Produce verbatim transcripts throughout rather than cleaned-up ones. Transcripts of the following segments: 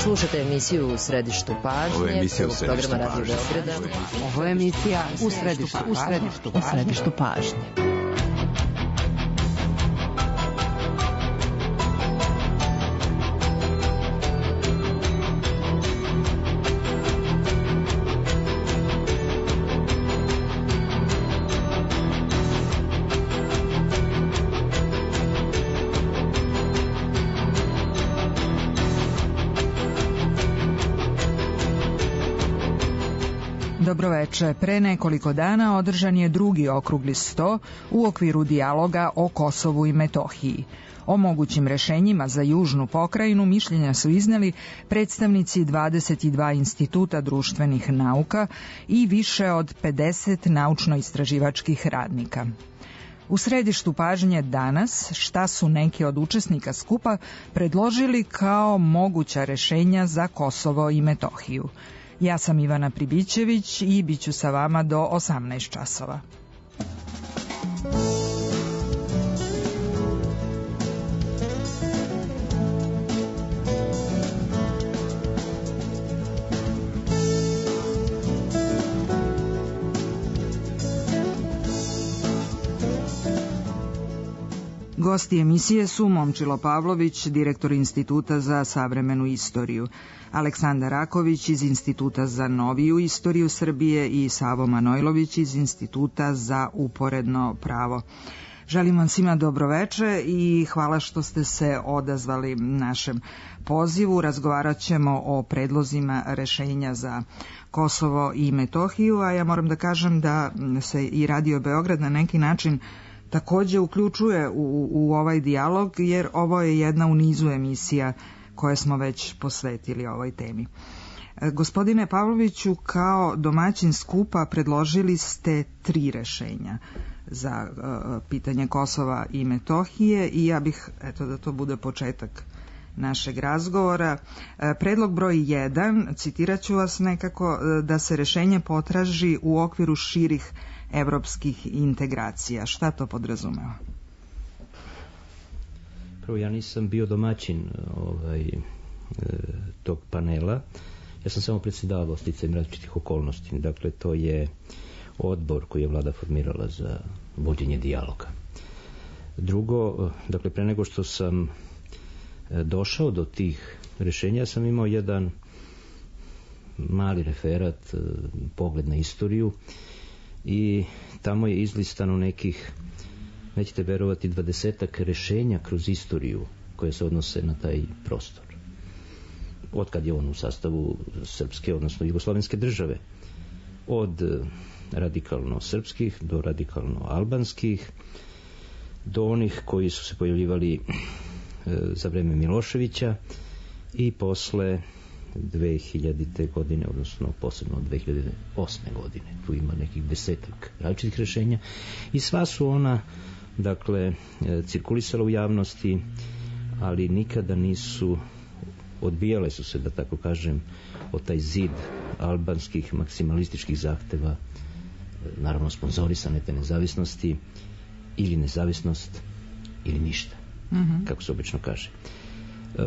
Slušajte emisiju U središtu pažnje. Ovo je emisija U središtu programa Radio pažnje. Beograda. Ovo je emisija U središtu, u središtu, u središtu pažnje. Dobroveče. Pre nekoliko dana održan je drugi okrugli sto u okviru dijaloga o Kosovu i Metohiji. O mogućim rešenjima za južnu pokrajinu mišljenja su izneli predstavnici dvadeset dva instituta društvenih nauka i više od pedeset naučno-istraživačkih radnika. U središtu pažnje danas šta su neki od učesnika skupa predložili kao moguća rešenja za Kosovo i Metohiju. Ja sam Ivana Pribićević i bit ću sa vama do osamnaest časova. Gosti emisije su Momčilo Pavlović, direktor Instituta za savremenu istoriju, Aleksandar Raković iz Instituta za noviju istoriju Srbije i Savo Manojlović iz Instituta za uporedno pravo. Želim vam svima dobroveče i hvala što ste se odazvali našem pozivu. Razgovarat ćemo o predlozima rešenja za Kosovo i Metohiju, a ja moram da kažem da se i Radio Beograd na neki način takođe uključuje u, u ovaj dijalog, jer ovo je jedna u nizu emisija koje smo već posvetili ovoj temi. Gospodine Pavloviću, kao domaćin skupa predložili ste tri rešenja za uh, pitanje Kosova i Metohije i ja bih, eto da to bude početak našeg razgovora. Predlog broj jedan, citirat ću vas nekako, da se rešenje potraži u okviru širih evropskih integracija. Šta to podrazumeva? Prvo, ja nisam bio domaćin ovaj, e, tog panela. Ja sam samo predsjedavao sticajem različitih okolnosti. Dakle, to je odbor koji je vlada formirala za vođenje dijaloga. Drugo, dakle, pre nego što sam došao do tih rešenja, sam imao jedan mali referat, pogled na istoriju i tamo je izlistano nekih, nećete verovati, dvadesetak rešenja kroz istoriju koje se odnose na taj prostor. Otkad je on u sastavu srpske, odnosno jugoslovenske države. Od radikalno srpskih do radikalno albanskih, do onih koji su se pojavljivali za vreme Miloševića i posle dve hiljadite godine, odnosno posebno od dve hiljade osme godine. Tu ima nekih desetak različitih rešenja i sva su ona, dakle, cirkulisala u javnosti, ali nikada nisu, odbijale su se, da tako kažem, od taj zid albanskih maksimalističkih zahteva, naravno sponzorisane te nezavisnosti, ili nezavisnost ili ništa, mm-hmm. kako se obično kaže.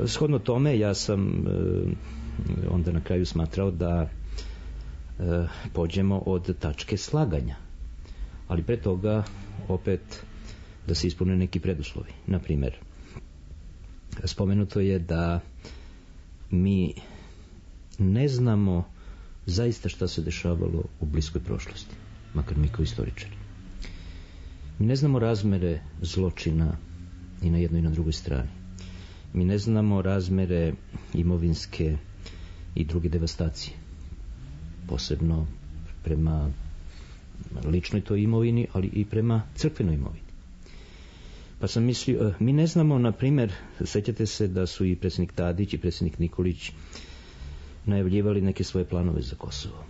Shodno tome, ja sam onda na kraju smatrao da pođemo od tačke slaganja, ali pre toga opet da se ispune neki preduslovi. Na primjer, spomenuto je da mi ne znamo zaista šta se dešavalo u bliskoj prošlosti, makar mi kao istoričari. Mi ne znamo razmere zločina i na jednoj i na drugoj strani. Mi ne znamo razmere imovinske i druge devastacije, posebno prema ličnoj toj imovini, ali i prema crkvenoj imovini. Pa sam mislio, mi ne znamo, na primjer, sećate se da su i predsjednik Tadić i predsjednik Nikolić najavljivali neke svoje planove za Kosovo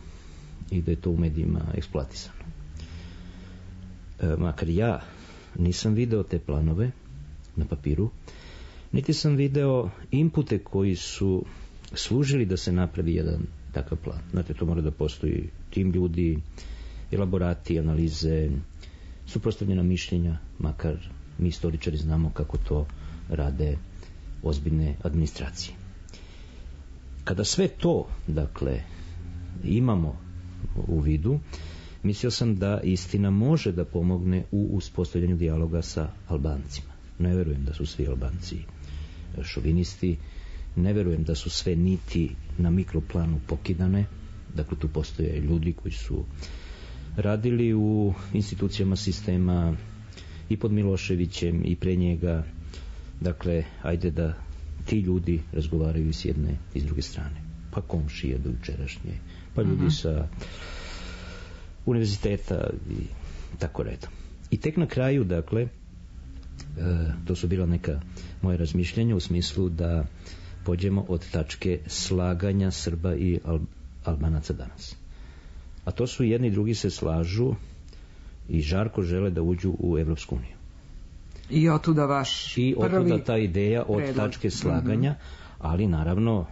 i da je to u medijima eksploatisano. E, makar ja nisam video te planove na papiru, niti sam video inpute koji su služili da se napravi jedan takav plan. Znate, to mora da postoji tim ljudi, elaborati, analize, suprotstavljena mišljenja, makar mi istoričari znamo kako to rade ozbiljne administracije. Kada sve to, dakle, imamo u vidu, mislio sam da istina može da pomogne u uspostavljanju dijaloga sa Albancima. Ne verujem da su svi Albanci šovinisti, ne verujem da su sve niti na mikroplanu pokidane, dakle tu postoje ljudi koji su radili u institucijama sistema i pod Miloševićem i pre njega, dakle ajde da ti ljudi razgovaraju s jedne i s druge strane, pa komšije do jučerašnje, pa ljudi uh-huh. sa univerziteta i tako redom. I tek na kraju, dakle, e, to su bila neka moje razmišljenja u smislu da pođemo od tačke slaganja Srba i Al- Albanaca danas. A to su jedni i drugi se slažu i žarko žele da uđu u Evropsku uniju. I otuda vaš I prvi otuda ta ideja od predlog. tačke slaganja, ali naravno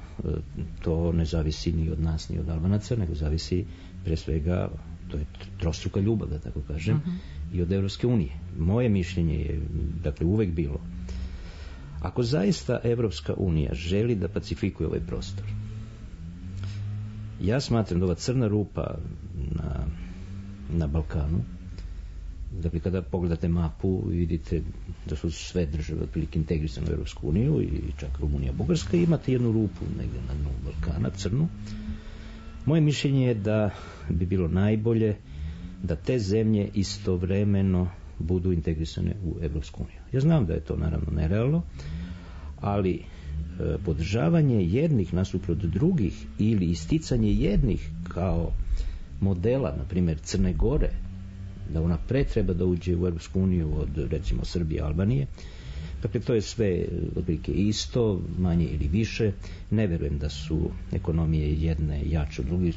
to ne zavisi ni od nas ni od Albanaca, nego zavisi pre svega, to je trostruka ljubav, da tako kažem, uh-huh. i od Evropske unije. Moje mišljenje je, dakle, uvek bilo, ako zaista Evropska unija želi da pacifikuje ovaj prostor, ja smatram da ova crna rupa na, na Balkanu, dakle, kada pogledate mapu vidite da su sve države otprilike integrisane u Evropsku uniju i čak Rumunija, Bugarska, i imate jednu rupu negdje na dnu Balkana, crnu. Moje mišljenje je da bi bilo najbolje da te zemlje istovremeno budu integrisane u Evropsku uniju. Ja znam da je to naravno nerealno, ali e, podržavanje jednih nasuprot drugih ili isticanje jednih kao modela, na primjer Crne Gore, da ona pre treba da uđe u Evropsku uniju od, recimo, Srbije, Albanije, dakle, to je sve otprilike isto, manje ili više. Ne verujem da su ekonomije jedne jače od drugih,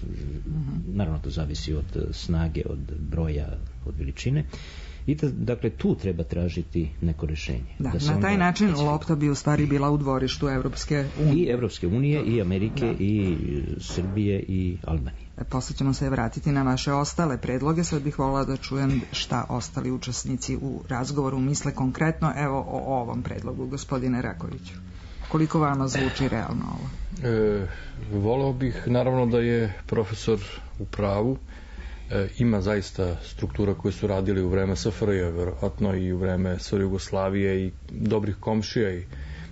naravno to zavisi od snage, od broja, od veličine. I da, dakle, tu treba tražiti neko rešenje. Da, da na taj način pacifiku. Lopta bi u stvari bila u dvorištu Evropske unije. I Evropske unije, i Amerike, da. I Srbije, i Albanije. E, posle ćemo se vratiti na vaše ostale predloge. Sad bih volila da čujem šta ostali učesnici u razgovoru misle konkretno, evo, o ovom predlogu, gospodine Rakoviću. Koliko vama zvuči realno ovo? E, voleo bih, naravno, da je profesor u pravu. E, ima zaista struktura koje su radili u vreme S F R J, verovatno i u vreme S R Jugoslavije i dobrih komšija. I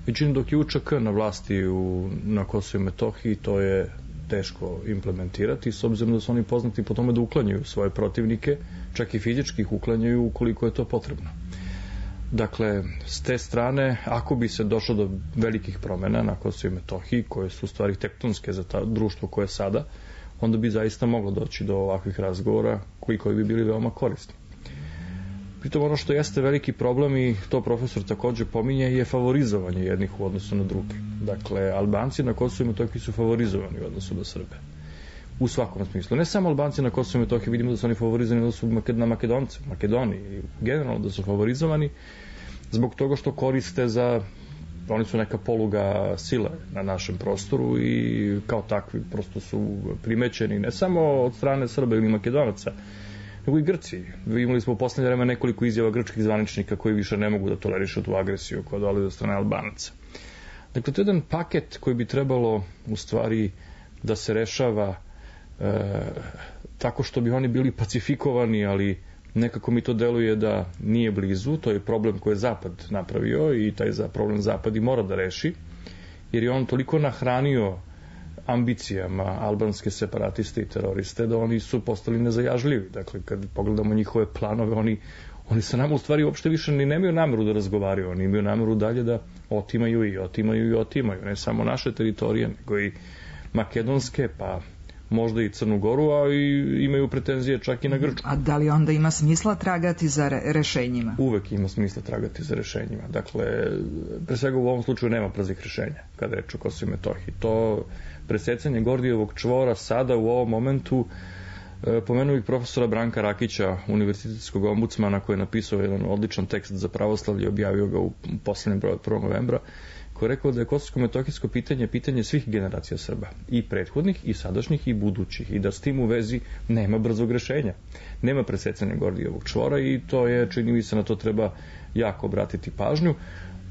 međutim, dok je U Č K na vlasti u, na Kosovu i Metohiji, to je teško implementirati, s obzirom da su oni poznati po tome da uklanjaju svoje protivnike, čak i fizički ih uklanjaju ukoliko je to potrebno. Dakle, s te strane, ako bi se došlo do velikih promjena na Kosovu i Metohiji, koje su u stvari tektonske za ta društvo koje je sada, onda bi zaista moglo doći do ovakvih razgovora koji, koji bi bili veoma korisni. Pritom ono što jeste veliki problem, i to profesor također pominje, je favorizovanje jednih u odnosu na druge. Dakle, Albanci na Kosovu i Metohiji su favorizovani u odnosu na Srbe. U svakom smislu. Ne samo Albanci na Kosovu i Metohiji, vidimo da su oni favorizovani u odnosu na Makedonce, Makedoniji, generalno da su favorizovani zbog toga što koriste za, oni su neka poluga sile na našem prostoru i kao takvi prosto su primećeni ne samo od strane Srba ili Makedonaca, nego i Grci. Imali smo u poslednje vreme nekoliko izjava grčkih zvaničnika koji više ne mogu da tolerišu tu agresiju koja dolazi od strane Albanaca. Dakle, to je jedan paket koji bi trebalo u stvari da se rešava e, tako što bi oni bili pacifikovani, ali nekako mi to deluje da nije blizu. To je problem koji je Zapad napravio i taj za problem Zapad i mora da reši, jer je on toliko nahranio ambicijama albanske separatiste i teroriste da oni su postali nezajažljivi. Dakle, kad pogledamo njihove planove, oni, oni sa nama u stvari uopšte više ni nemaju nameru da razgovaraju, oni imaju nameru dalje da otimaju i otimaju i otimaju, ne samo naše teritorije, nego i makedonske, pa možda i Crnu Goru, a i imaju pretenzije čak i na Grčku. A da li onda ima smisla tragati za re- rešenjima? Uvek ima smisla tragati za rešenjima. Dakle, pre svega u ovom slučaju nema brzih rešenja kada je reč o Kosovu i Metohiji. To presecanje Gordijevog čvora sada u ovom momentu, e, pomenuo bih profesora Branka Rakića, univerzitetskog ombudsmana, koji je napisao jedan odličan tekst za pravoslavlje, objavio ga u poslednjem broju od prvog novembra, koji je rekao da je kosovsko-metohijsko pitanje pitanje svih generacija Srba, i prethodnih, i sadašnjih, i budućih, i da s tim u vezi nema brzog rešenja. Nema presecanja Gordijevog čvora i to je, čini mi se, na to treba jako obratiti pažnju.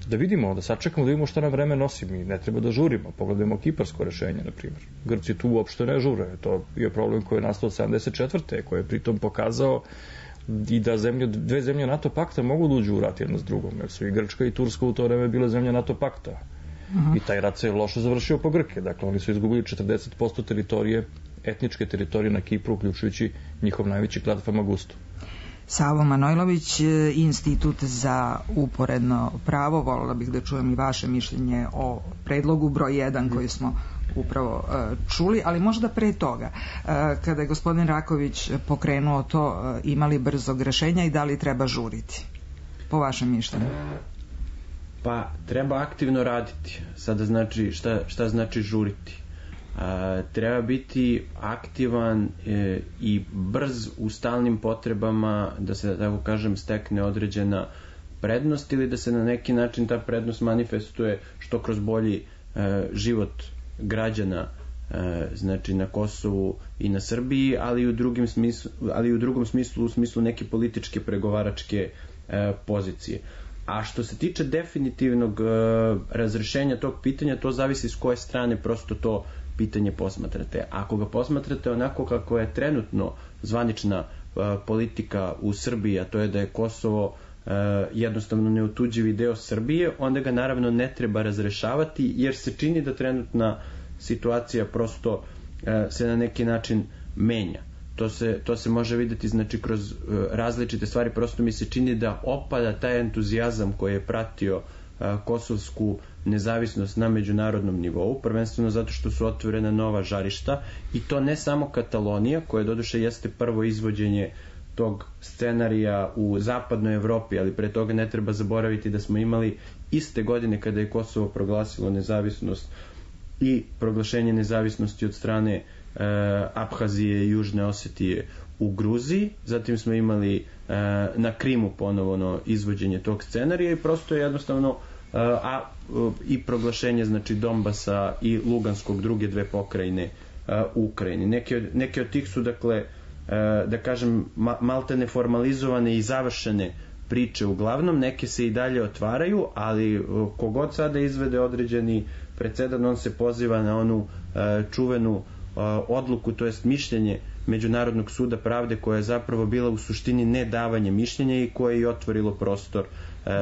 da vidimo, da sačekamo, da vidimo šta nam vreme nosi. Mi ne treba da žurimo. Pogledajmo kiparsko rešenje, na primjer. Grci tu uopšte ne žure. To je problem koji je nastao od sedamdeset četvrte koji je pritom pokazao i da zemlje, dve zemlje NATO pakta mogu da uđu u rat jedna s drugom, jer su i Grčka i Turska u to vreme bile zemlje NATO pakta. Uh-huh. I taj rat se loše završio po Grke. Dakle, oni su izgubili četrdeset posto teritorije, etničke teritorije na Kipru, uključujući njihov najveći klad Famagustu. Savo Manojlović, Institut za uporedno pravo, volila bih da čujem i vaše mišljenje o predlogu broj jedan koji smo upravo uh, čuli, ali možda pre toga, uh, kada je gospodin Raković pokrenuo to, uh, imali brzog rešenja i da li treba žuriti? Po vašem mišljenju? Pa, treba aktivno raditi. Sada znači, šta, šta znači žuriti? A, treba biti aktivan e, i brz u stalnim potrebama da se, tako kažem, stekne određena prednost ili da se na neki način ta prednost manifestuje što kroz bolji e, život građana, e, znači na Kosovu i na Srbiji, ali i u drugim smislu, ali i u drugom smislu, u smislu neke političke pregovaračke e, pozicije. A što se tiče definitivnog e, razrešenja tog pitanja, to zavisi s koje strane prosto to pitanje posmatrate. Ako ga posmatrate onako kako je trenutno zvanična uh, politika u Srbiji, a to je da je Kosovo uh, jednostavno neotuđivi deo Srbije, onda ga naravno ne treba razrešavati, jer se čini da trenutna situacija prosto uh, se na neki način menja. To se, to se može videti znači kroz uh, različite stvari, prosto mi se čini da opada taj entuzijazam koji je pratio uh, kosovsku nezavisnost na međunarodnom nivou, prvenstveno zato što su otvorena nova žarišta, i to ne samo Katalonija, koja doduše jeste prvo izvođenje tog scenarija u zapadnoj Evropi, ali pre toga ne treba zaboraviti da smo imali iste godine kada je Kosovo proglasilo nezavisnost i proglašenje nezavisnosti od strane e, Abhazije i Južne Osetije u Gruziji, zatim smo imali e, na Krimu ponovno izvođenje tog scenarija i prosto je jednostavno a i proglašenje znači Donbasa i Luganskog, druge dve pokrajine u Ukrajini. Neke od, neke od tih su dakle da kažem malte neformalizovane i završene priče uglavnom, neke se i dalje otvaraju, ali kogod sada izvede određeni presedan, on se poziva na onu čuvenu odluku, to jest mišljenje Međunarodnog suda pravde, koja je zapravo bila u suštini nedavanje mišljenja i koje je otvorilo prostor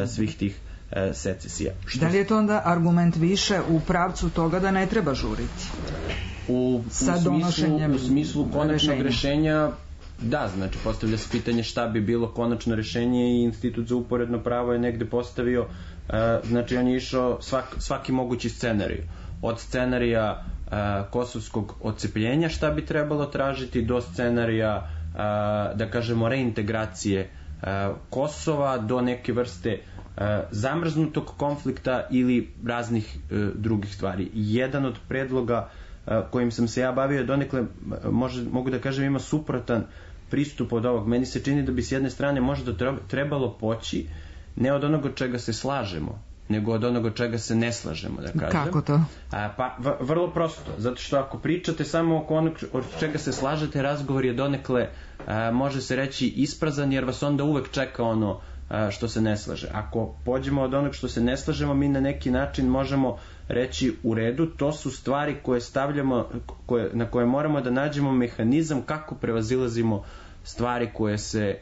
svih tih secesija. Što... Da li je to onda argument više u pravcu toga da ne treba žuriti? U, u, smislu, u smislu konačnog rešenja. rešenja, da, znači postavlja se pitanje šta bi bilo konačno rešenje i Institut za uporedno pravo je negde postavio, uh, znači on je išao svak, svaki mogući scenarij. Od scenarija uh, kosovskog odcepljenja šta bi trebalo tražiti do scenarija uh, da kažemo reintegracije uh, Kosova do neke vrste zamrznutog konflikta ili raznih e, drugih stvari. Jedan od predloga e, kojim sam se ja bavio donekle, može, mogu da kažem, ima suprotan pristup od ovog. Meni se čini da bi s jedne strane možda trebalo poći ne od onoga čega se slažemo, nego od onoga čega se ne slažemo, da kažem. Kako to? A, pa, v, vrlo prosto. Zato što ako pričate samo oko onog od čega se slažete, razgovor je donekle, a, može se reći, isprazan, jer vas onda uvek čeka ono što se ne slaže. Ako pođemo od onog što se ne slažemo, mi na neki način možemo reći u redu, to su stvari koje stavljamo, koje, na koje moramo da nađemo mehanizam kako prevazilazimo stvari koje se,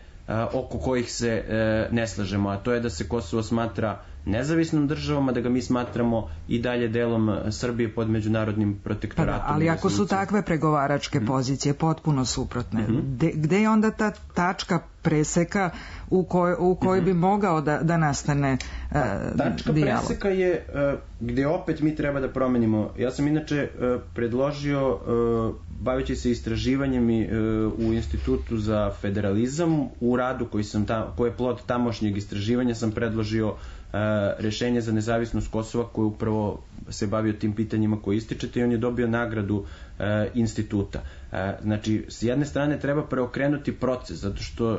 oko kojih se ne slažemo, a to je da se Kosovo smatra nezavisnom državom, a da ga mi smatramo i dalje delom Srbije pod međunarodnim protektoratom. Pa da, ali ako su takve pregovaračke mm. pozicije potpuno suprotne, mm-hmm. de, gde je onda ta tačka preseka u kojoj, u kojoj mm-hmm. bi mogao da, da nastane uh, tačka dijalog? Preseka je uh, gde opet mi treba da promenimo. Ja sam inače uh, predložio, uh, baveći se istraživanjem i, uh, u Institutu za federalizam, u radu koji, sam ta, koji je plod tamošnjeg istraživanja, sam predložio rešenje za nezavisnost Kosova, koji upravo se bavio tim pitanjima koje ističete, i on je dobio nagradu e, instituta. E, znači, s jedne strane treba preokrenuti proces, zato što e,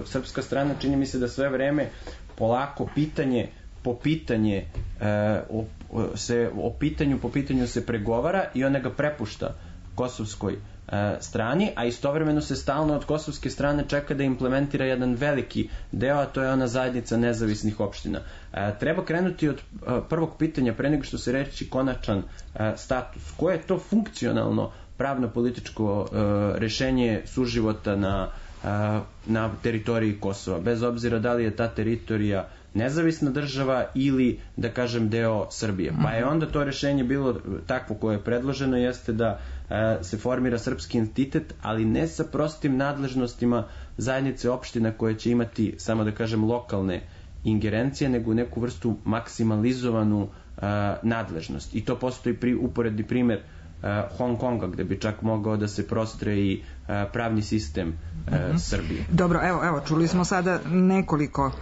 srpska strana čini mi se da sve vreme polako pitanje po pitanje e, o, se, o pitanju po pitanju se pregovara i ona ga prepušta kosovskoj strani, a istovremeno se stalno od kosovske strane čeka da implementira jedan veliki deo, a to je ona zajednica nezavisnih opština. Treba krenuti od prvog pitanja pre nego što se reći konačan status. Koje je to funkcionalno pravno-političko rešenje suživota na, na teritoriji Kosova, bez obzira da li je ta teritorija nezavisna država ili, da kažem, deo Srbije. Pa je onda to rešenje bilo takvo koje je predloženo, jeste da e, se formira srpski entitet, ali ne sa prostim nadležnostima zajednice opština koje će imati, samo da kažem, lokalne ingerencije, nego neku vrstu maksimalizovanu e, nadležnost. I to postoji pri, uporedni primer e, Hong Konga, gde bi čak mogao da se prostre i e, pravni sistem e, mm-hmm. Srbije. Dobro, evo, evo, čuli smo sada nekoliko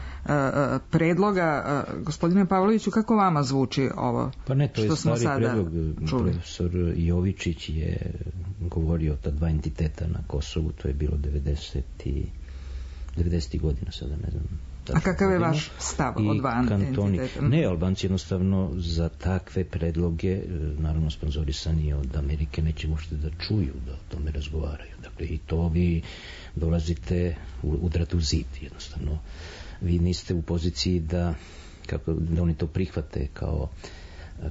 predloga. Gospodine Pavloviću, kako vama zvuči ovo? Pa ne, to je stari predlog. Profesor Jovičić je govorio o ta dva entiteta na Kosovu, to je bilo devedesetih godina, sada ne znam. A kakav je vaš stav o dva entiteta? Ne, Albanci jednostavno za takve predloge, naravno sponzorisani od Amerike, neće uopšte da čuju da o tome razgovaraju. Dakle, i to vi dolazite udrati u zid, jednostavno. Vi niste u poziciji da, kako, da oni to prihvate kao,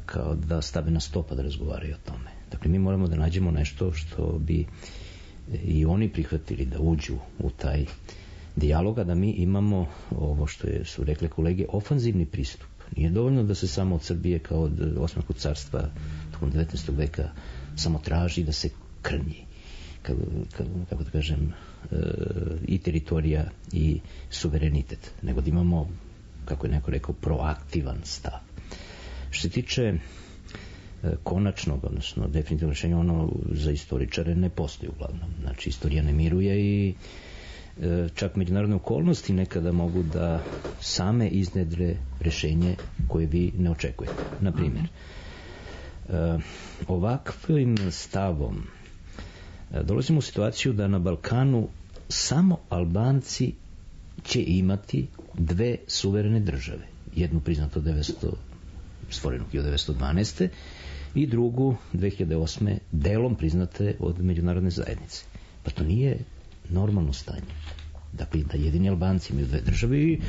kao da stave na sto pa da razgovaraju o tome. Dakle, mi moramo da nađemo nešto što bi i oni prihvatili da uđu u taj dijaloga, da mi imamo ovo što je, su rekle kolege, ofanzivni pristup. Nije dovoljno da se samo od Srbije kao od Osmanskog carstva tokom devetnaestog veka samo traži da se krnji, kako, kako da kažem, i teritorija i suverenitet, nego da imamo, kako je neko rekao, proaktivan stav. Što se tiče konačnog, odnosno definitivno rešenja, ono za istoričare ne postoji uglavnom. Znači, istorija ne miruje i čak međunarodne okolnosti nekada mogu da same iznedre rešenje koje vi ne očekujete. Naprimjer, ovakvim stavom dolazimo u situaciju da na Balkanu samo Albanci će imati dve suverene države. Jednu priznato devetsto, stvorenu hiljadu devetsto dvanaeste i drugu dve hiljade osme delom priznate od međunarodne zajednice. Pa to nije normalno stanje. Dakle, da jedini Albanci imaju dve države i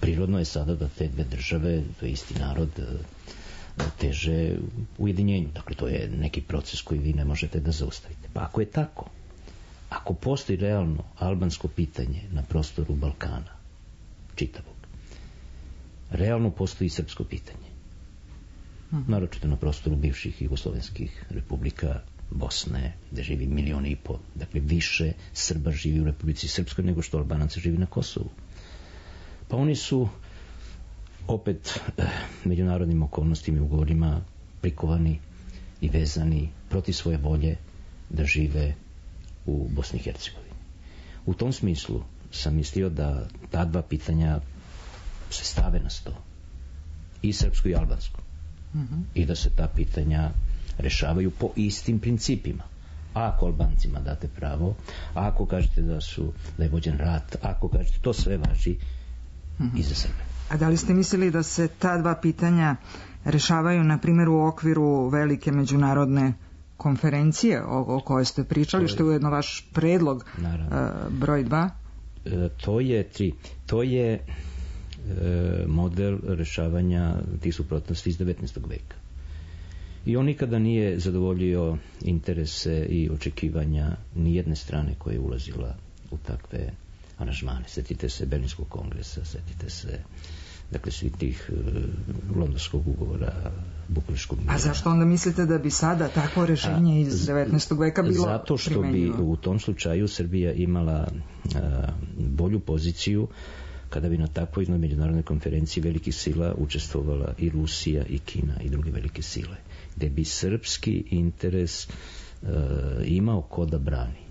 prirodno je sada da te dve države, to je isti narod, teže ujedinjenju. Dakle, to je neki proces koji vi ne možete da zaustavite. Pa ako je tako, ako postoji realno albansko pitanje na prostoru Balkana, čitavog, realno postoji i srpsko pitanje. Naročito na prostoru bivših jugoslovenskih republika, Bosne, gde živi milion i po, dakle više Srba živi u Republici Srpskoj nego što Albanaca živi na Kosovu. Pa oni su opet eh, međunarodnim okolnostima i ugovorima prikovani i vezani protiv svoje volje da žive u Bosni i Hercegovini. U tom smislu sam mislio da ta dva pitanja se stave na sto, i srpsko i albansko, mm-hmm. i da se ta pitanja rešavaju po istim principima. Ako Albancima date pravo, ako kažete da su da je vođen rat, ako kažete, to sve važi mm-hmm. i za Srbe. A da li ste mislili da se ta dva pitanja rešavaju, na primjer, u okviru velike međunarodne konferencije o, o kojoj ste pričali, što je ujedno vaš predlog uh, broj dva? E, to je tri. To je e, model rešavanja tih suprotnosti iz devetnaestog veka. I on nikada nije zadovoljio interese i očekivanja ni jedne strane koja je ulazila u takve aranžmane. Sjetite se Berlinskog kongresa, sjetite se dakle svih tih uh, londonskog ugovora, Bukureškog mira. A zašto onda mislite da bi sada takvo rešenje iz devetnaestog veka bilo primenjivo? Zato što bi u tom slučaju Srbija imala uh, bolju poziciju kada bi na takvoj jednoj međunarodnoj konferenciji velikih sila učestvovala i Rusija i Kina i druge velike sile, gde bi srpski interes uh, imao ko da brani.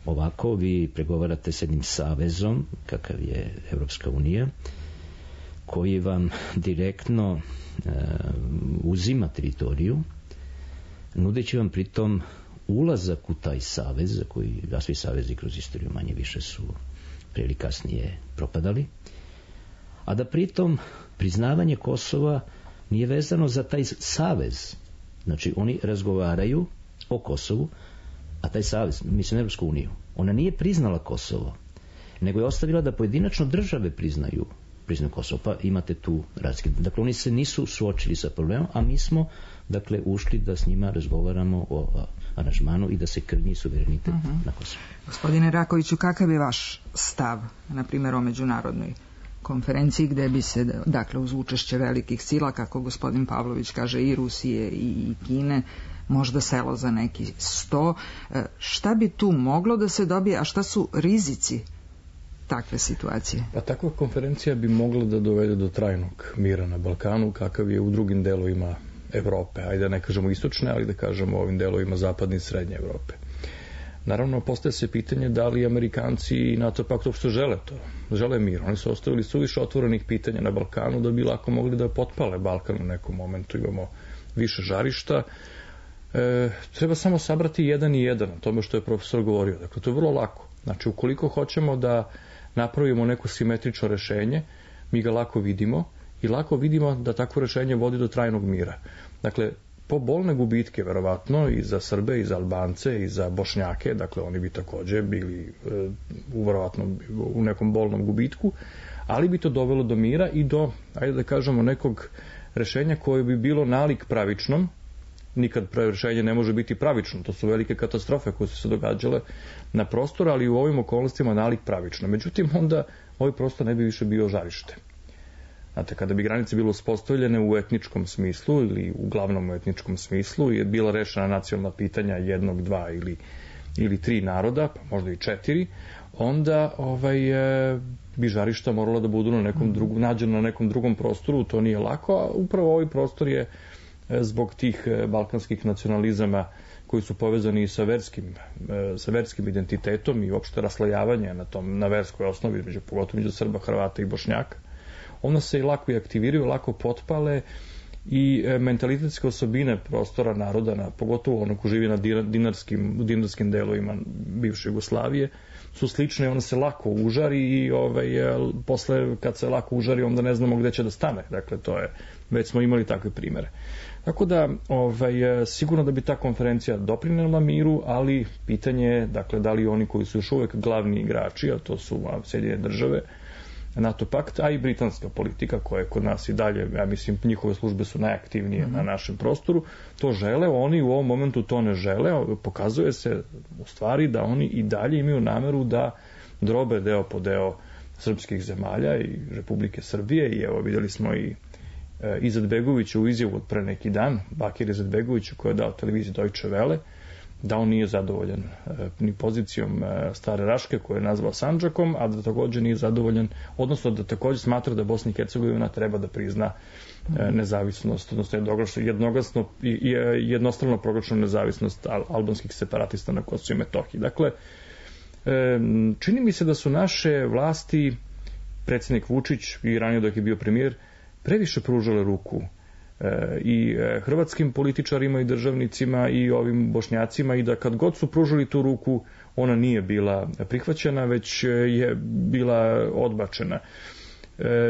Ovako vi pregovarate s jednim savezom, kakav je Evropska unija, koji vam direktno uh, uzima teritoriju, nudeći vam pritom ulazak u taj savez, koji, a svi savezi kroz istoriju manje više su pre ili kasnije propadali, a da pritom priznavanje Kosova nije vezano za taj savez. Znači, oni razgovaraju, o Kosovu, a taj savez, mislim Evropsku uniju, ona nije priznala Kosovo, nego je ostavila da pojedinačno države priznaju priznaju Kosovo, pa imate tu razlike. Dakle, oni se nisu suočili sa problemom, a mi smo, dakle, ušli da s njima razgovaramo o aranžmanu i da se krnji suverenitet uh-huh. na Kosovo. Gospodine Rakoviću, kakav je vaš stav, na primjer, o međunarodnoj konferenciji gde bi se, dakle, uz učešće velikih sila, kako gospodin Pavlović kaže, i Rusije i Kine, možda selo za neki sto, šta bi tu moglo da se dobije, a šta su rizici takve situacije? Pa takva konferencija bi mogla da dovede do trajnog mira na Balkanu, kakav je u drugim delovima Evrope, ajde da ne kažemo istočne, ali da kažemo ovim delovima zapadne i srednje Evrope. Naravno, postaje se pitanje da li Amerikanci i NATO pakt uopšte žele to, žele mir. Oni su ostavili suviše otvorenih pitanja na Balkanu da bi lako mogli da potpale Balkan u nekom momentu, imamo više žarišta. E, treba samo sabrati jedan i jedan o tome što je profesor govorio. Dakle, to je vrlo lako. Znači, ukoliko hoćemo da napravimo neko simetrično rešenje, mi ga lako vidimo i lako vidimo da takvo rešenje vodi do trajnog mira. Dakle, po bolne gubitke, verovatno, i za Srbe, i za Albance, i za Bošnjake, dakle, oni bi takođe bili e, u, verovatno, u nekom bolnom gubitku, ali bi to dovelo do mira i do, ajde da kažemo, nekog rešenja koje bi bilo nalik pravičnom. Nikad rešenje ne može biti pravično, to su velike katastrofe koje su se događale na prostoru, ali u ovim okolnostima nalik pravično. Međutim, onda ovaj prostor ne bi više bio žarište. Znate, kada bi granice bilo uspostavljene u etničkom smislu ili uglavnom u etničkom smislu je bila rešena nacionalna pitanja jednog, dva ili, ili tri naroda, pa možda i četiri, onda ovaj, e, bi žarišta morala da budu na nekom drugom, nađeno na nekom drugom prostoru, to nije lako, a upravo ovaj prostor je zbog tih balkanskih nacionalizama koji su povezani sa verskim, sa verskim identitetom i uopšte raslojavanje na, tom, na verskoj osnovi, među, pogotovo među Srba, Hrvata i Bošnjaka, onda se i lako i aktiviraju, lako potpale i mentalitetske osobine prostora naroda, na, pogotovo ono ko živi na dinarskim, u dinarskim delovima bivše Jugoslavije, su slične, ona se lako užari i ovaj, posle kad se lako užari onda ne znamo gde će da stane. Dakle, to je, već smo imali takve primere. Tako da, ovaj, sigurno da bi ta konferencija doprinela miru, ali pitanje je, dakle, da li oni koji su još uvek glavni igrači, a to su Sjedinjene države, NATO pakt, a i britanska politika koja je kod nas i dalje, ja mislim, njihove službe su najaktivnije mm-hmm. na našem prostoru, to žele, oni u ovom momentu to ne žele, pokazuje se u stvari da oni i dalje imaju nameru da drobe deo po deo srpskih zemalja i Republike Srbije i evo videli smo i e, Izetbegovića u izjavu od pre neki dan, Bakir Izetbegović koji je dao televiziji Deutsche Welle, da on nije zadovoljan e, ni pozicijom e, Stare Raške koju je nazvao Sandžakom, a da također nije zadovoljan, odnosno da također smatra da Bosna i Hercegovina treba da prizna e, nezavisnost, odnosno jednoglasno i jednostrano proglašenu nezavisnost al, albanskih separatista na Kosovu i Metohiji. Dakle, e, čini mi se da su naše vlasti, predsjednik Vučić i ranije dok je bio premijer, previše pružale ruku i hrvatskim političarima i državnicima i ovim Bošnjacima i da kad god su pružili tu ruku ona nije bila prihvaćena već je bila odbačena.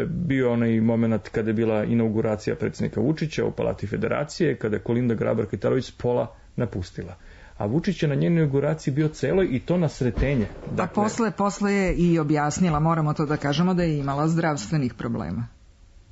Bio onaj moment kada je bila inauguracija predsjednika Vučića u Palati Federacije, kada je Kolinda Grabar-Kitarović pola napustila. A Vučić je na njenoj inauguraciji bio celoj i to na sretenje. Dakle, da posle, posle je i objasnila, moramo to da kažemo, da je imala zdravstvenih problema.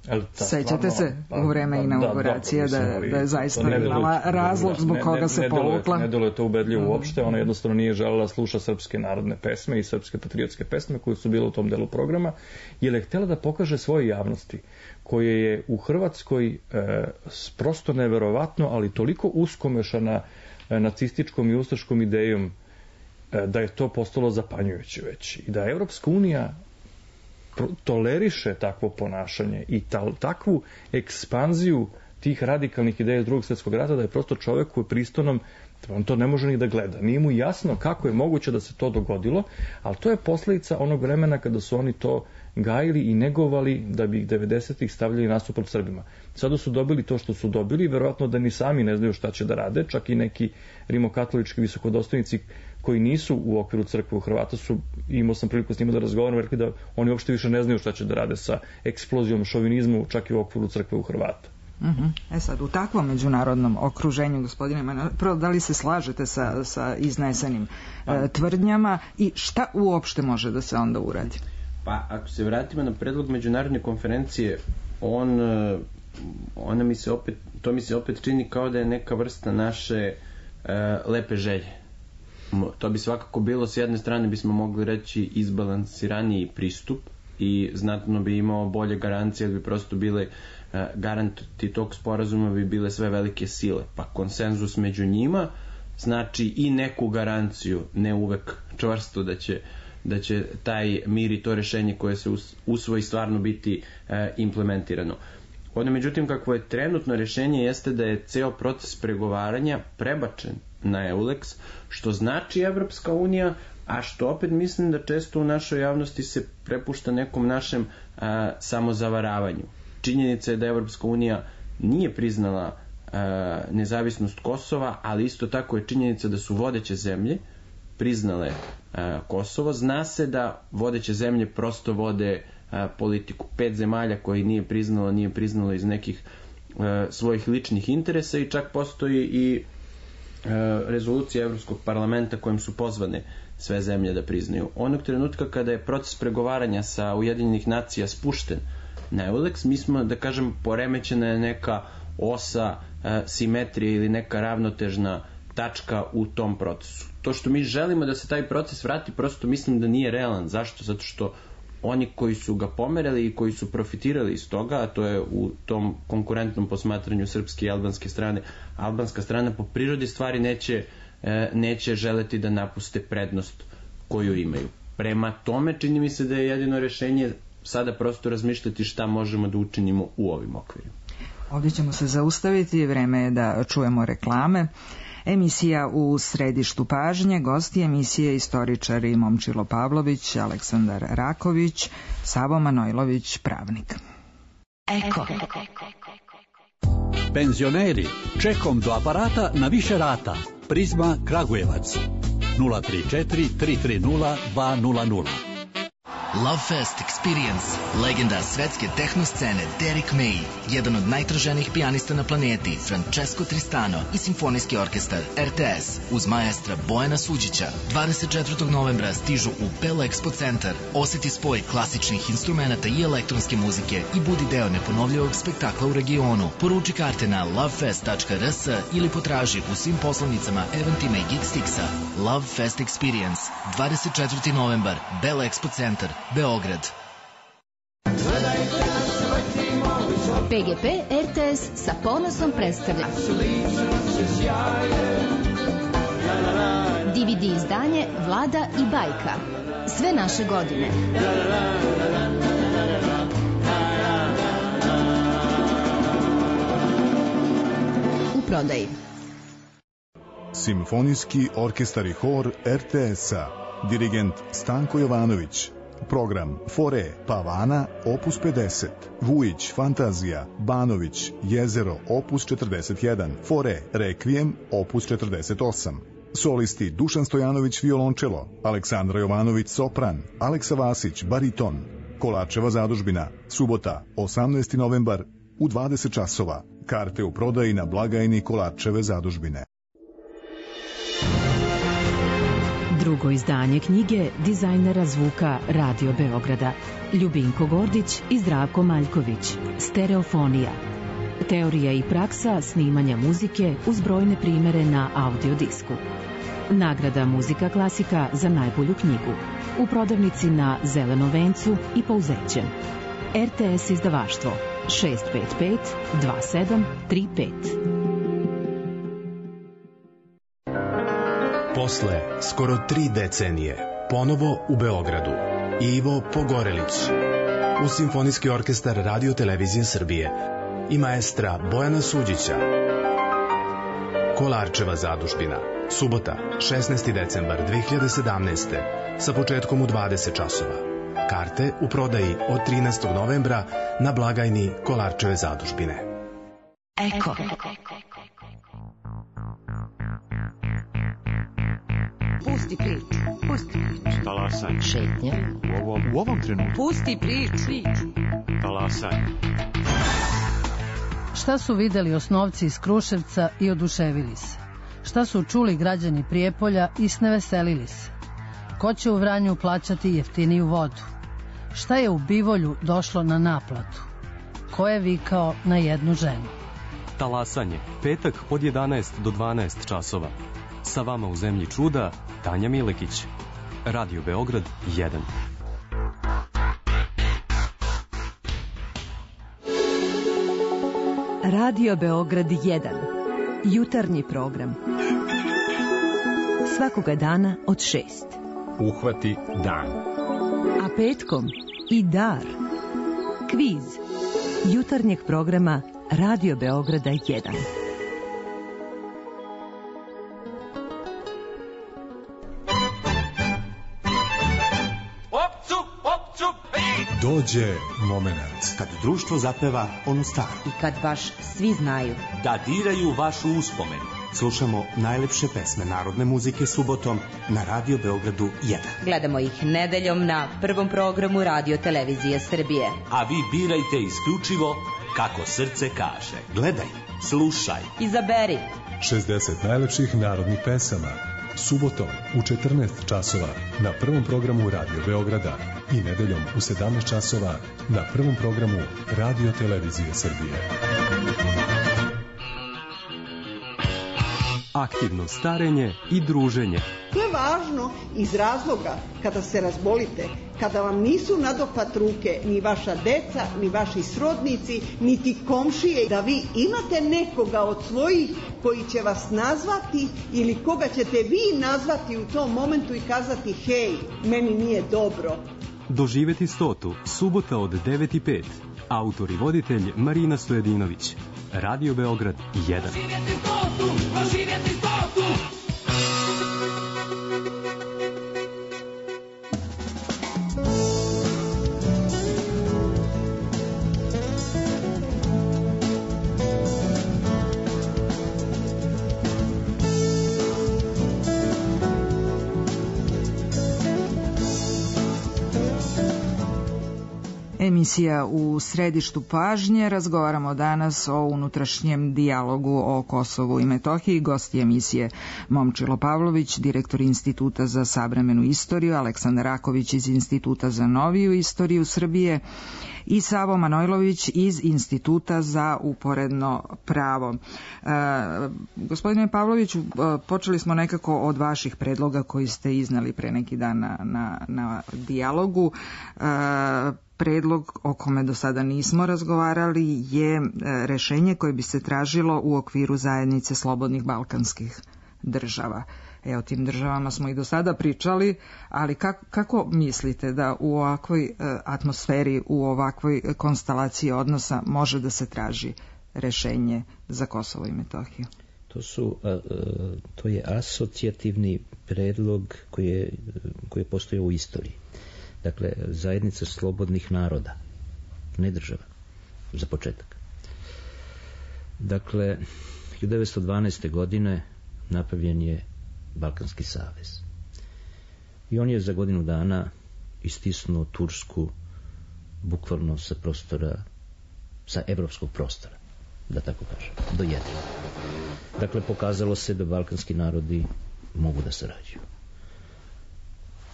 Ta, sećate se u vreme inauguracije da, da, da je zaista imala razlog zbog koga se povukla. Ne deluje to ubedljivo uopšte, ona jednostavno nije želela sluša srpske narodne pesme i srpske patriotske pesme koje su bile u tom delu programa, jer je htjela da pokaže svoje javnosti koje je u Hrvatskoj e, prosto neverovatno, ali toliko uskomešana e, nacističkom i ustaškom idejom e, da je to postalo zapanjujuće već i da Evropska unija toleriše takvo ponašanje i ta, takvu ekspanziju tih radikalnih ideja iz drugog svjetskog rata da je prosto čovjek koji je pristonom, on to ne može ni da gleda. Nije mu jasno kako je moguće da se to dogodilo, ali to je posljedica onog vremena kada su oni to gajili i negovali da bi ih devedesetih stavljali nasuprot Srbima. Sada su dobili to što su dobili, verovatno da ni sami ne znaju šta će da rade, čak i neki rimokatolički visokodostojnici koji nisu u okviru crkve u Hrvata su, imao sam priliku s njima da razgovaram, rekli da oni uopšte više ne znaju šta će da rade sa eksplozijom šovinizmu čak i u okviru crkve u Hrvata. Uh-huh. E sad, u takvom međunarodnom okruženju, gospodine Manojlović, prvo, da li se slažete sa, sa iznesenim e, tvrdnjama i šta uopšte može da se onda uradi? Pa, ako se vratimo na predlog međunarodne konferencije, on, ona mi se opet, to mi se opet čini kao da je neka vrsta naše e, lepe želje. To bi svakako bilo, s jedne strane bismo mogli reći, izbalansiraniji pristup i znatno bi imao bolje garancije, jer bi prosto bile e, garanti tog sporazuma bi bile sve velike sile, pa konsenzus među njima znači i neku garanciju, ne uvek čvrsto da će da će taj mir i to rešenje koje se usvoji stvarno biti e, implementirano. Ono, međutim, kakvo je trenutno rešenje jeste da je ceo proces pregovaranja prebačen na EULEX, što znači Evropska unija, a što opet mislim da često u našoj javnosti se prepušta nekom našem a, samozavaravanju. Činjenica je da Evropska unija nije priznala a, nezavisnost Kosova, ali isto tako je činjenica da su vodeće zemlje priznale a, Kosovo. Zna se da vodeće zemlje prosto vode a, politiku. Pet zemalja koje nije priznalo, nije priznalo iz nekih a, svojih ličnih interesa i čak postoji i a, rezolucija Evropskog parlamenta kojim su pozvane sve zemlje da priznaju. Onog trenutka kada je proces pregovaranja sa Ujedinjenih nacija spušten na EULEX, mi smo, da kažem, poremećena je neka osa a, simetrije ili neka ravnotežna tačka u tom procesu. To što mi želimo da se taj proces vrati, prosto mislim da nije realan. Zašto? Zato što oni koji su ga pomerali i koji su profitirali iz toga, a to je u tom konkurentnom posmatranju srpske i albanske strane, albanska strana po prirodi stvari neće, neće želeti da napuste prednost koju imaju. Prema tome, čini mi se da je jedino rešenje sada prosto razmišljati šta možemo da učinimo u ovim okvirima. Ovdje ćemo se zaustaviti, vreme je da čujemo reklame. Emisija u središtu pažnje, gosti emisije istoričari Momčilo Pavlović, Aleksandar Raković, Savo Manojlović, pravnik. Eko. Penzioneri, čekom do aparata na više rata. Prizma Kragujevac. nula tri četiri tri tri nula dva nula nula. Lovefest Experience, legenda svetske tehno scene Derek May, jedan od najtraženijih pijanista na planeti, Francesco Tristano i simfonijski orkestar R T S uz maestra Bojana Suđića dvadeset četvrtog novembra stižu u Bell Expo centar. Oseti spoj klasičnih instrumenata i elektronske muzike i budi deo neponovljivog spektakla u regionu. Poruči karte na lovefest tačka r s ili potraži u svim poslovnicama, eventima i Geekstixa. Lovefest Experience, dvadeset četvrtog novembar, Bell Expo centar, Beograd. P G P R T S sa ponosom predstavlja D V D izdanje Vlada i bajka. Sve naše godine. U prodaji. Simfonijski orkestar i hor R T S-a. Dirigent Stanko Jovanović. Program Fore Pavana opus pedeset, Vujić Fantazija, Banović Jezero opus četrdeset jedan, Fore Rekvijem opus četrdeset osam. Solisti Dušan Stojanović violončelo, Aleksandra Jovanović sopran, Aleksa Vasić bariton. Kolarčeva zadužbina, subota osamnaesti novembar u dvadeset časova. Karte u prodaji na blagajni Kolarčeve zadužbine. Drugo izdanje knjige dizajnera zvuka Radio Beograda Ljubinko Gordić i Zdravko Maljković. Stereofonija. Teorija i praksa snimanja muzike uz brojne primere na audiodisku. Nagrada Muzika klasika za najbolju knjigu. U prodavnici na Zelenom vencu i Pouzećem. R T S izdavaštvo šest pet pet dva sedam tri pet. Posle skoro tri decenije, ponovo u Beogradu, Ivo Pogorelić, uz Simfonijski orkestar Radio Televizije Srbije i maestra Bojana Suđića. Kolarčeva zadužbina, subota, šesnaesti decembar dve hiljade sedamnaeste. sa početkom u dvadeset časova. Karte u prodaji od trinaestog novembra na blagajni Kolarčeve zadužbine. Eko. Pusti priču, pusti priču. Talasaj. Šetnja. U ovom, u ovom trenutku. Pusti priču. Talasaj. Šta su videli osnovci iz Kruševca i oduševili se? Šta su čuli građani Prijepolja i sneveselili se? Ko će u Vranju plaćati jeftiniju vodu? Šta je u Bivolju došlo na naplatu? Ko je vikao na jednu ženu? Talasanje, petak od jedanaest do dvanaest časova. Sa vama u zemlji čuda, Tanja Milekić. Radio Beograd jedan. Radio Beograd jedan. Jutarnji program. Svakoga dana od šest. Uhvati dan. A petkom i dar. Kviz. Jutarnjeg programa Radio Beograda jedan. Dođe moment. Kad društvo zapeva onu staru. I kad baš svi znaju. Da diraju vašu uspomenu. Slušamo najlepše pesme narodne muzike subotom na Radio Beogradu jedan. Gledamo ih nedeljom na prvom programu Radio Televizije Srbije. A vi birajte isključivo kako srce kaže. Gledaj, slušaj. Izaberi. šezdeset najlepših narodnih pesama. Subotom u četrnaest časova na prvom programu Radio Beograda i nedeljom u sedamnaest časova na prvom programu Radio Televizije Srbije. Aktivno starenje i druženje. To je važno iz razloga kada se razbolite, kada vam nisu nadohvat ruke ni vaša deca, ni vaši srodnici, niti komšije, da vi imate nekoga od svojih koji će vas nazvati ili koga ćete vi nazvati u tom momentu i kazati hej, meni nije dobro. Doživeti stotu, subota od devet i pet. Autor i voditelj Marina Stojedinović. Radio Beograd jedan. Doživjeti stotu, doživjeti stotu. Emisija u središtu pažnje. Razgovaramo danas o unutrašnjem dijalogu o Kosovu i Metohiji. Gosti emisije Momčilo Pavlović, direktor Instituta za savremenu istoriju, Aleksandar Raković iz Instituta za noviju istoriju Srbije i Savo Manojlović iz Instituta za uporedno pravo. E, gospodine Pavloviću, počeli smo nekako od vaših predloga koji ste iznali pre neki dan na, na, na dijalogu. E, Predlog o kome do sada nismo razgovarali je rešenje koje bi se tražilo u okviru zajednice slobodnih balkanskih država. E, o tim državama smo i do sada pričali, ali kako, kako mislite da u ovakvoj atmosferi, u ovakvoj konstelaciji odnosa može da se traži rešenje za Kosovo i Metohiju? To su, to je asocijativni predlog koji je, koji je postojao u istoriji. Dakle, zajednica slobodnih naroda, ne država, za početak. Dakle, hiljadu devetsto dvanaeste. godine napravljen je Balkanski savez. I on je za godinu dana istisnuo Tursku bukvalno sa prostora, sa evropskog prostora, da tako kažem, do jedra. Dakle, pokazalo se da balkanski narodi mogu da sarađuju.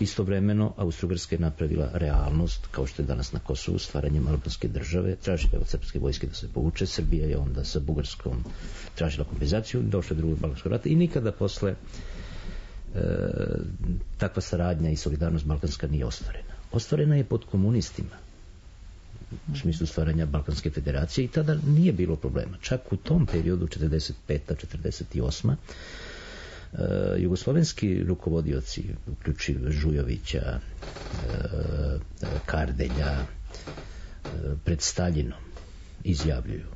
Istovremeno, Austro-Ugarska je napravila realnost, kao što je danas na Kosovu, stvaranjem albanske države, tražila od srpske vojske da se povuče, Srbija je onda sa Bugarskom tražila kompenzaciju, došlo je drugog balkanskog rata i nikada posle e, takva saradnja i solidarnost balkanska nije ostvarena. Ostvarena je pod komunistima, u smislu stvaranja Balkanske federacije, i tada nije bilo problema. Čak u tom periodu, četrdeset peta četrdeset osma. Uh, jugoslovenski rukovodioci, uključiv Žujovića, uh, Kardelja, uh, pred Staljinom izjavljuju,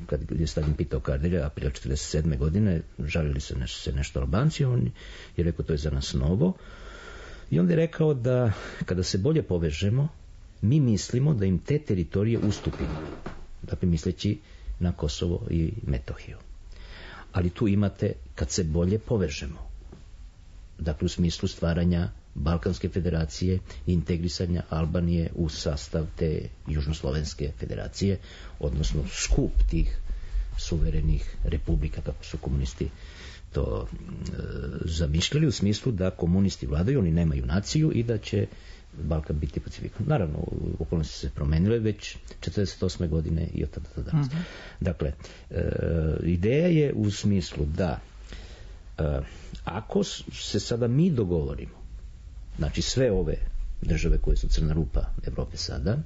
kad je Staljin pitao Kardelja aprila četrdeset sedme. godine, žalili se nešto, se nešto Albanci, on je rekao to je za nas novo, i onda je rekao da kada se bolje povežemo, mi mislimo da im te teritorije ustupimo, dakle misleći na Kosovo i Metohiju. Ali tu imate kad se bolje povežemo, dakle u smislu stvaranja Balkanske federacije i integrisanja Albanije u sastav te Južnoslovenske federacije, odnosno skup tih suverenih republika, kako su komunisti to e, zamišljali, u smislu da komunisti vladaju, oni nemaju naciju i da će Balkan biti pacifikan. Naravno, okolnosti su se promenile već četrdeset osme godine i od tada do danas. Uh-huh. Dakle, e, ideja je u smislu da e, ako se sada mi dogovorimo, znači sve ove države koje su crna rupa Evrope sada,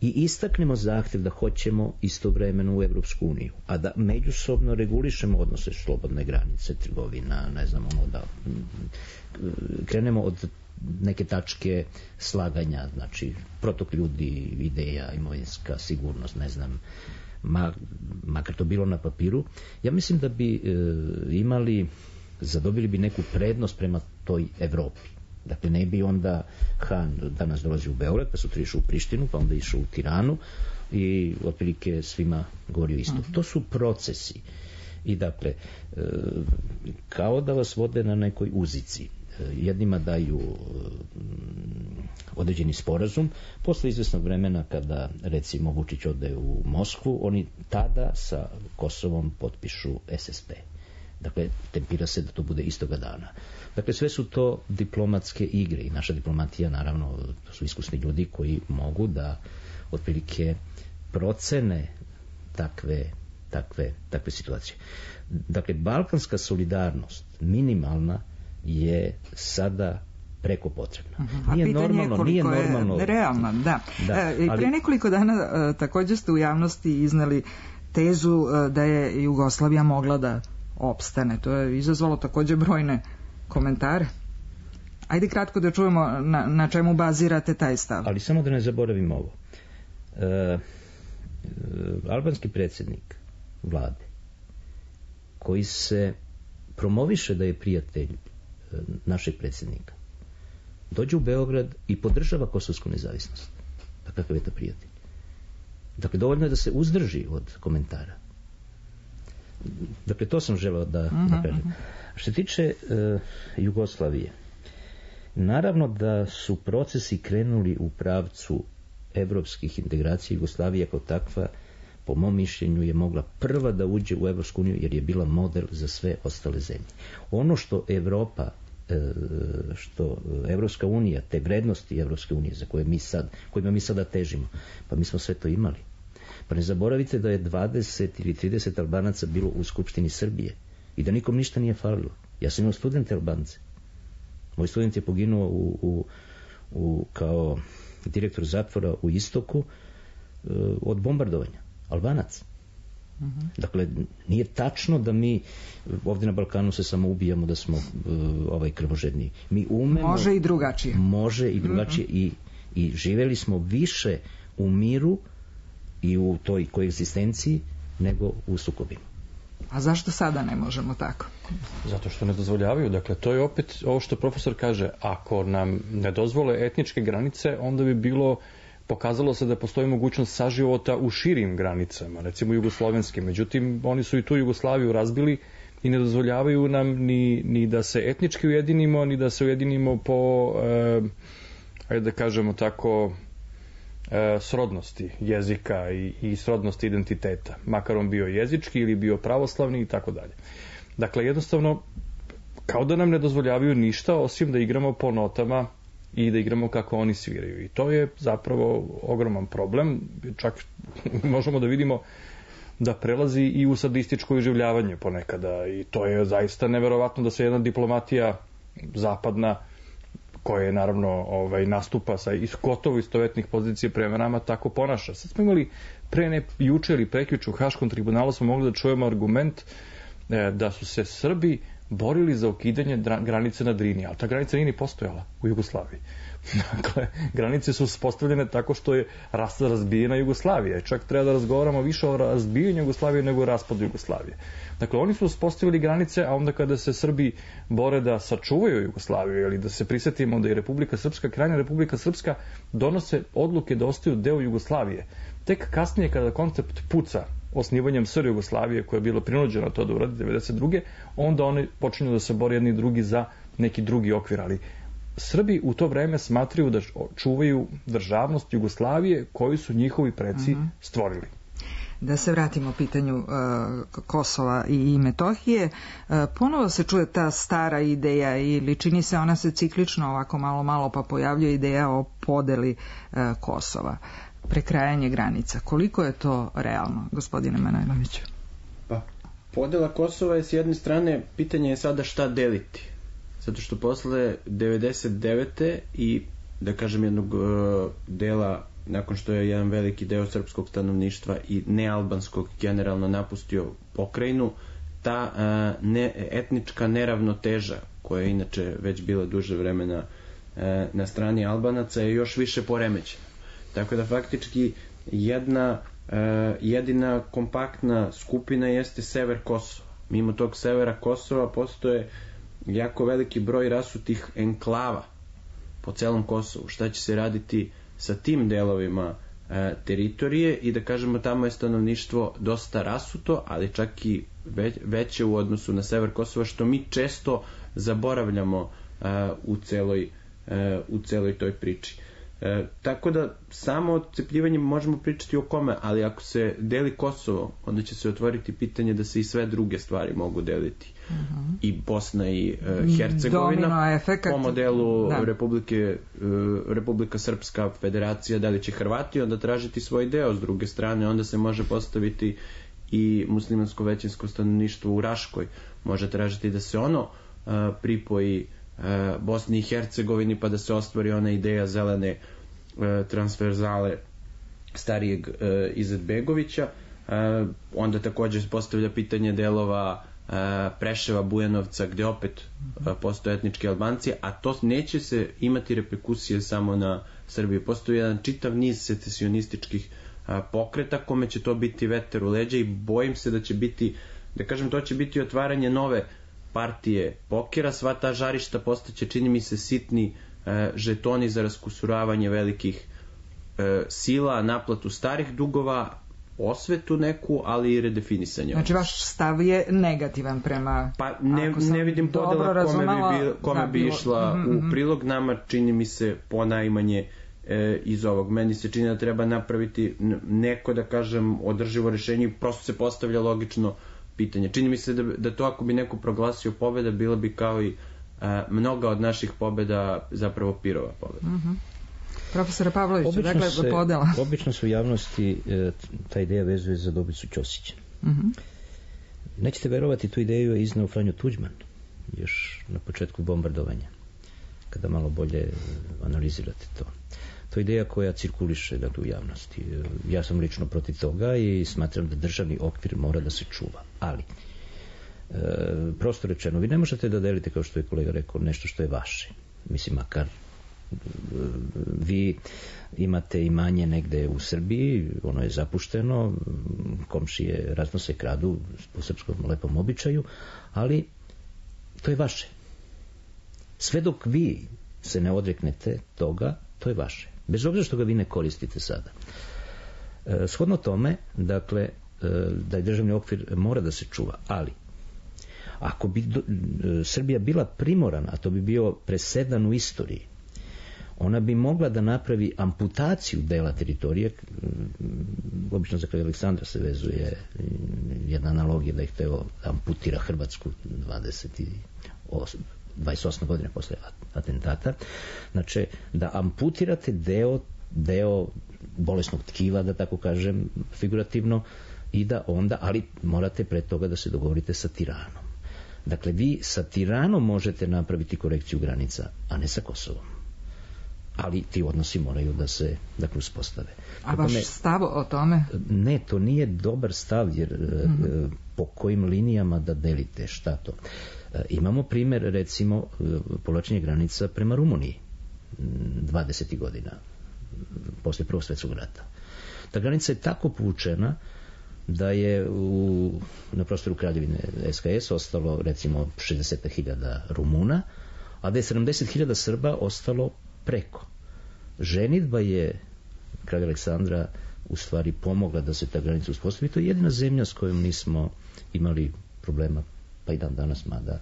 i istaknemo zahtjev da hoćemo istovremeno u Evropsku uniju, a da međusobno regulišemo odnose, slobodne granice, trgovina, ne znam, ono da krenemo od neke tačke slaganja, znači protok ljudi, ideja, imovinska sigurnost, ne znam, ma, makar to bilo na papiru, ja mislim da bi e, imali, zadobili bi neku prednost prema toj Evropi. Dakle, ne bi onda Han danas dolazi u Beograd, pa sutra išao u Prištinu, pa onda išao u Tiranu i otprilike svima govorio isto. Uh-huh. To su procesi. I dakle, e, kao da vas vode na nekoj uzici. Jednima daju određeni sporazum, posle izvesnog vremena kada recimo Vučić ode u Moskvu, oni tada sa Kosovom potpišu es es pe. Dakle, tempira se da to bude istoga dana. Dakle, sve su to diplomatske igre i naša diplomatija, naravno, to su iskusni ljudi koji mogu da otprilike procene takve, takve, takve situacije. Dakle, balkanska solidarnost, minimalna, je sada preko potrebna. Uh-huh. Nije A pitanje normalno, je koliko nije normalno. je realno, da. da e, I pre ali... nekoliko dana e, također ste u javnosti iznali tezu e, da je Jugoslavija mogla da opstane. To je izazvalo također brojne komentare. Ajde kratko da čujemo na, na čemu bazirate taj stav. Ali samo da ne zaboravim ovo. E, e, albanski predsjednik vlade koji se promoviše da je prijatelj e, našeg predsjednika, dođe u Beograd i podržava kosovsku nezavisnost. Pa kakav je to prijatelj? Dakle, dovoljno je da se uzdrži od komentara. Dakle, to sam želeo da, uh-huh, da kažem. Što se tiče e, Jugoslavije, naravno da su procesi krenuli u pravcu evropskih integracija. Jugoslavija kao takva, po mom mišljenju, je mogla prva da uđe u Evropsku uniju jer je bila model za sve ostale zemlje. Ono što Evropa, e, što Evropska unija, te vrednosti Evropske unije za koje mi sad, kojima mi sada težimo, pa mi smo sve to imali. Pa ne zaboravite da je dvadeset ili trideset Albanaca bilo u Skupštini Srbije i da nikom ništa nije falilo. Ja sam imao studente Albance. Moj student je poginuo u, u, u, kao direktor zatvora u Istoku uh, od bombardovanja. Albanac. Uh-huh. Dakle, nije tačno da mi ovdje na Balkanu se samo ubijamo, da smo uh, ovaj krvožedni. Mi umemo... Može i drugačije. Može i drugačije uh-huh. i, i živjeli smo više u miru i u toj koegzistenciji nego u sukobima. A zašto sada ne možemo tako? Zato što ne dozvoljavaju. Dakle, to je opet ovo što profesor kaže. Ako nam ne dozvole etničke granice, onda bi bilo, pokazalo se da postoji mogućnost saživota u širim granicama, recimo jugoslovenskim. Međutim, oni su i tu Jugoslaviju razbili i ne dozvoljavaju nam ni, ni da se etnički ujedinimo, ni da se ujedinimo po, eh, ajde da kažemo tako, srodnosti jezika i, i srodnosti identiteta, makar on bio jezički ili bio pravoslavni i tako dalje. Dakle, jednostavno, kao da nam ne dozvoljavaju ništa osim da igramo po notama i da igramo kako oni sviraju. I to je zapravo ogroman problem. Čak možemo da vidimo da prelazi i u sadističko iživljavanje ponekada. I to je zaista neverovatno da se jedna diplomatija zapadna, koja je naravno ovaj, nastupa sa gotovo istovetnih pozicija prema nama, tako ponaša. Sad smo imali pre ne juče ili prekjuče u Haškom tribunalu smo mogli da čujemo argument e, da su se Srbi borili za ukidanje dra- granice na Drini, ali ta granica nije ni postojala u Jugoslaviji. Dakle, granice su postavljene tako što je razbijena Jugoslavija. Čak treba da razgovaramo više o razbijanju Jugoslavije nego o raspadu Jugoslavije. Dakle, oni su uspostavili granice, a onda kada se Srbi bore da sačuvaju Jugoslaviju ili da se prisjetimo da je Republika Srpska, krajnja Republika Srpska, donose odluke da ostaju deo Jugoslavije. Tek kasnije kada koncept puca osnivanjem S R Jugoslavije, koja je bilo prinuđena to da uradi devedeset druge, onda oni počinju da se bore jedni drugi za neki drugi okvir, ali Srbi u to vreme smatraju da čuvaju državnost Jugoslavije koju su njihovi preci uh-huh. stvorili. Da se vratimo pitanju uh, Kosova i Metohije, uh, ponovo se čuje ta stara ideja ili čini se ona se ciklično ovako malo malo pa pojavljuje ideja o podeli uh, Kosova, prekrajanje granica. Koliko je to realno, gospodine Manojloviću? Pa, podela Kosova je s jedne strane, pitanje je sada šta deliti. Zato što posle devedeset devete i da kažem jednog uh, dela nakon što je jedan veliki deo srpskog stanovništva i nealbanskog generalno napustio pokrajinu, ta uh, ne, etnička neravnoteža koja je inače već bila duže vremena uh, na strani Albanaca je još više poremećena. Tako da faktički jedna uh, jedina kompaktna skupina jeste sever Kosova. Mimo tog severa Kosova postoje jako veliki broj rasutih enklava po celom Kosovu. Šta će se raditi sa tim delovima e, teritorije i da kažemo tamo je stanovništvo dosta rasuto, ali čak i već, veće u odnosu na sever Kosova, što mi često zaboravljamo e, u celoj e, u celoj toj priči. E, tako da samo odcepljivanjem možemo pričati o kome, ali ako se deli Kosovo, onda će se otvoriti pitanje da se i sve druge stvari mogu deliti. Uh-huh. I Bosna i uh, Hercegovina po modelu da. Republike, uh, Republika Srpska federacija, da li će Hrvati onda tražiti svoj deo, s druge strane onda se može postaviti i muslimansko većinsko stanovništvo u Raškoj, može tražiti da se ono uh, pripoji uh, Bosni i Hercegovini pa da se ostvari ona ideja zelene uh, transverzale starijeg uh, Izetbegovića. Uh, onda također postavlja pitanje delova Preševa, Bujanovca, gde opet postoje etnički Albanci, a to neće se imati reperkusije samo na Srbiju. Postoji jedan čitav niz secesionističkih pokreta kome će to biti veter u leđa i bojim se da će biti, da kažem, to će biti otvaranje nove partije pokera. Sva ta žarišta postaće, čini mi se, sitni žetoni za raskusuravanje velikih sila, naplatu starih dugova, osvetu neku, ali i redefinisanje. Znači vaš stav je negativan prema... Pa ne, ne vidim podela kome bi, bi, kome da, bi išla bilo... u prilog. Nama čini mi se ponajmanje e, iz ovog. Meni se čini da treba napraviti neko, da kažem, održivo rešenje i prosto se postavlja logično pitanje. Čini mi se da, da to ako bi neko proglasio pobeda, bila bi kao i a, mnoga od naših pobeda zapravo pirova pobeda. Mhm. Profesora Pavlovića, dakle, se, podela. Obično se u javnosti e, ta ideja vezuje za Dobricu Ćosića. Uh-huh. Nećete verovati, tu ideju je iznao Franjo Tuđman još na početku bombardovanja, kada malo bolje analizirate to. To je ideja koja cirkuliše, dakle, u javnosti. Ja sam lično protiv toga i smatram da državni okvir mora da se čuva. Ali, e, prosto rečeno, vi ne možete da delite, kao što je kolega rekao, nešto što je vaše. Mislim, makar vi imate imanje negde u Srbiji, ono je zapušteno, komšije raznose, kradu po srpskom lepom običaju, ali to je vaše. Sve dok vi se ne odreknete toga, to je vaše. Bez obzira što ga vi ne koristite sada. E, shodno tome, dakle, e, da je državni okvir mora da se čuva, ali ako bi do, e, Srbija bila primorana, a to bi bio presedan u istoriji, ona bi mogla da napravi amputaciju dela teritorije. Obično za kraj Aleksandra se vezuje jedna analogija da ih teo amputira Hrvatsku dvadeset osme godine posle atentata. Znači, da amputirate deo, deo bolesnog tkiva, da tako kažem, figurativno, i da onda, ali morate pre toga da se dogovorite sa tiranom. Dakle, vi sa tiranom možete napraviti korekciju granica, a ne sa Kosovom. Ali ti odnosi moraju da se, dakle, uspostave. A vaš me, stav o tome? Ne, to nije dobar stav, jer mm-hmm. po kojim linijama da delite, šta to? Imamo primer, recimo, povlačenje granica prema Rumuniji dvadesetih godina, posle Prvog svjetskog rata. Ta granica je tako povučena da je u, na prostoru Kraljevine S H S ostalo, recimo, šezdeset hiljada Rumuna, a da je sedamdeset hiljada Srba ostalo preko. Ženidba je kralja Aleksandra u stvari pomogla da se ta granica uspostavi. To je jedina zemlja s kojom nismo imali problema, pa i dan danas, mada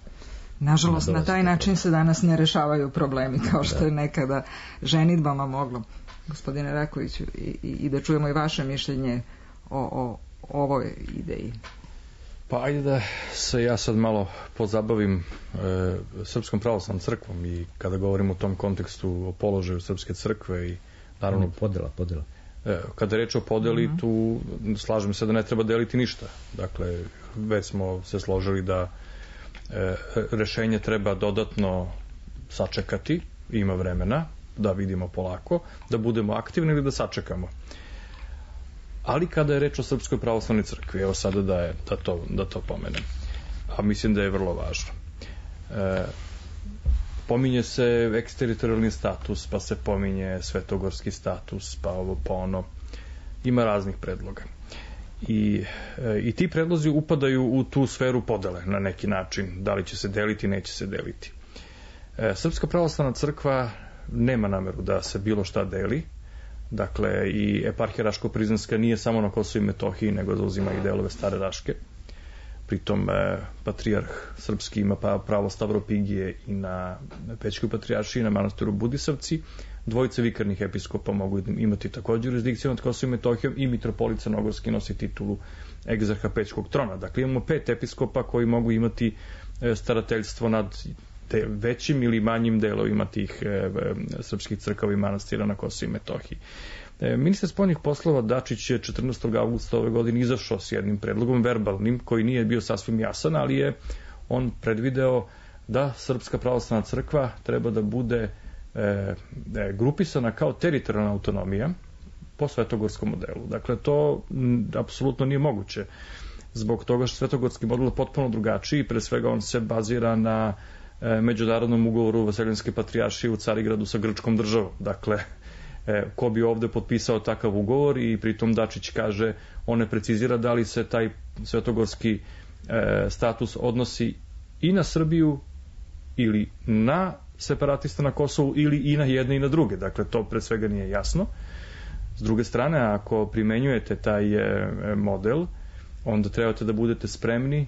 Nažalost, na taj način se danas ne rešavaju problemi, kao što je nekada ženidbama moglo. Gospodine Rakoviću, i, i da čujemo i vaše mišljenje o, o, o ovoj ideji. Pa ajde da se ja sad malo pozabavim e, Srpskom pravoslavnom crkvom i kada govorim o tom kontekstu o položaju Srpske crkve i naravno... Podela, podela. E, kada je reč o podeli, mm-hmm. tu slažem se da ne treba deliti ništa. Dakle, već smo se složili da e, rešenje treba dodatno sačekati, ima vremena, da vidimo polako, da budemo aktivni ili da sačekamo. Ali kada je reč o Srpskoj pravoslavnoj crkvi, evo sada da, je, da, to, da to pomenem, a mislim da je vrlo važno. E, pominje se eksteritorijalni status, pa se pominje svetogorski status, pa ovo, pa ono. Ima raznih predloga. I, e, i ti predlozi upadaju u tu sferu podele na neki način. Da li će se deliti, neće se deliti. E, Srpska pravoslavna crkva nema nameru da se bilo šta deli. Dakle, i eparhija Raško-Prizrenska nije samo na Kosovu i Metohiji, nego zauzima i delove Stare Raške. Pritom e, patrijarh srpski ima pa pravo Stavropigije i na Pećkoj patrijaršiji, na manastiru Budisavci. Dvojice vikarnih episkopa mogu imati također jurisdikciju nad Kosovom i Metohijom i mitropolit Crnogorski nosi titulu egzarha Pećkog trona. Dakle, imamo pet episkopa koji mogu imati e, starateljstvo nad te većim ili manjim delovima tih e, srpskih crkava i manastira na Kosovu i Metohiji. E, ministar spoljnih poslova Dačić je četrnaestog avgusta ove godine izašao s jednim predlogom verbalnim koji nije bio sasvim jasan, ali je on predvideo da Srpska pravoslavna crkva treba da bude e, grupisana kao teritorijalna autonomija po svetogorskom modelu. Dakle, to m, apsolutno nije moguće zbog toga što svetogorski model je potpuno drugačiji, pre svega on se bazira na međunarodnom ugovoru Vaseljenske patrijaršije u Carigradu sa grčkom državom. Dakle, ko bi ovde potpisao takav ugovor i pritom Dačić kaže, on ne precizira da li se taj svetogorski status odnosi i na Srbiju ili na separatista na Kosovu ili i na jedne i na druge. Dakle, to pre svega nije jasno. S druge strane, ako primenjujete taj model, onda trebate da budete spremni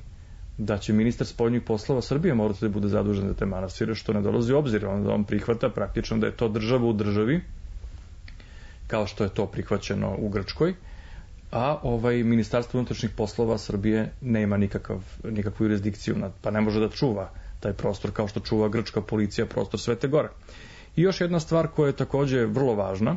da će ministar spoljnih poslova Srbije morati da bude zadužen za te manastire, što ne dolazi u obzir. On, on prihvata praktično da je to država u državi, kao što je to prihvaćeno u Grčkoj, a ovaj ministarstvo unutrašnjih poslova Srbije nema nikakav, nikakvu jurisdikciju, nad, pa ne može da čuva taj prostor kao što čuva grčka policija prostor Svete Gore. I još jedna stvar koja je takođe vrlo važna,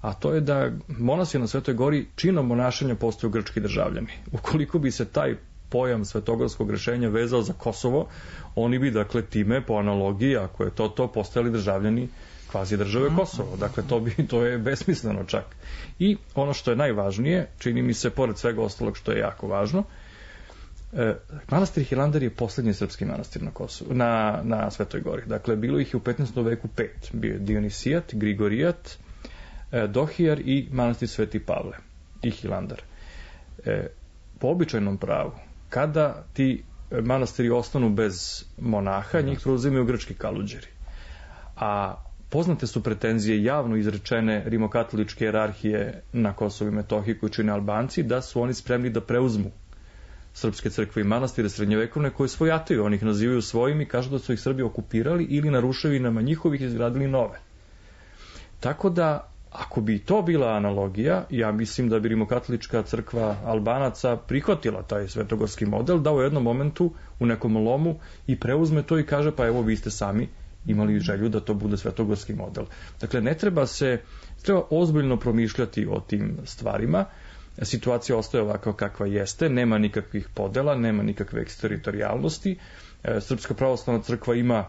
a to je da monasi na Svetoj Gori činom monašanja postaju grčki državljani. Ukoliko bi se taj pojam svetogorskog rešenja vezao za Kosovo, oni bi, dakle, time, po analogiji, ako je to to, postali državljani kvazi države Kosovo. Dakle, to, bi, to je besmisleno čak. I ono što je najvažnije, čini mi se, pored svega ostalog što je jako važno, eh, manastir Hilandar je poslednji srpski manastir na, Kosovu, na, na Svetoj Gori. Dakle, bilo ih je u petnaestom veku pet. Bio je Dionisijat, Grigorijat, eh, Dohijar i manastir Sveti Pavle i Hilandar. Eh, po običajnom pravu, kada ti manastiri ostanu bez monaha, njih preuzimaju grčki kaluđeri. A poznate su pretenzije javno izrečene rimokatoličke jerarhije na Kosovu i Metohiji koji čine Albanci, da su oni spremni da preuzmu srpske crkve i manastire srednjovekovne koje svojataju. Oni ih nazivaju svojim i kažu da su ih Srbi okupirali ili na ruševinama njihovih izgradili nove. Tako da, ako bi to bila analogija, ja mislim da bi rimokatolička crkva Albanaca prihvatila taj svetogorski model, da u jednom momentu, u nekom lomu, i preuzme to i kaže, pa evo vi ste sami imali želju da to bude svetogorski model. Dakle, ne treba se, treba ozbiljno promišljati o tim stvarima. Situacija ostaje ovako kakva jeste, nema nikakvih podela, nema nikakve eksteritorijalnosti. Srpska pravoslavna crkva ima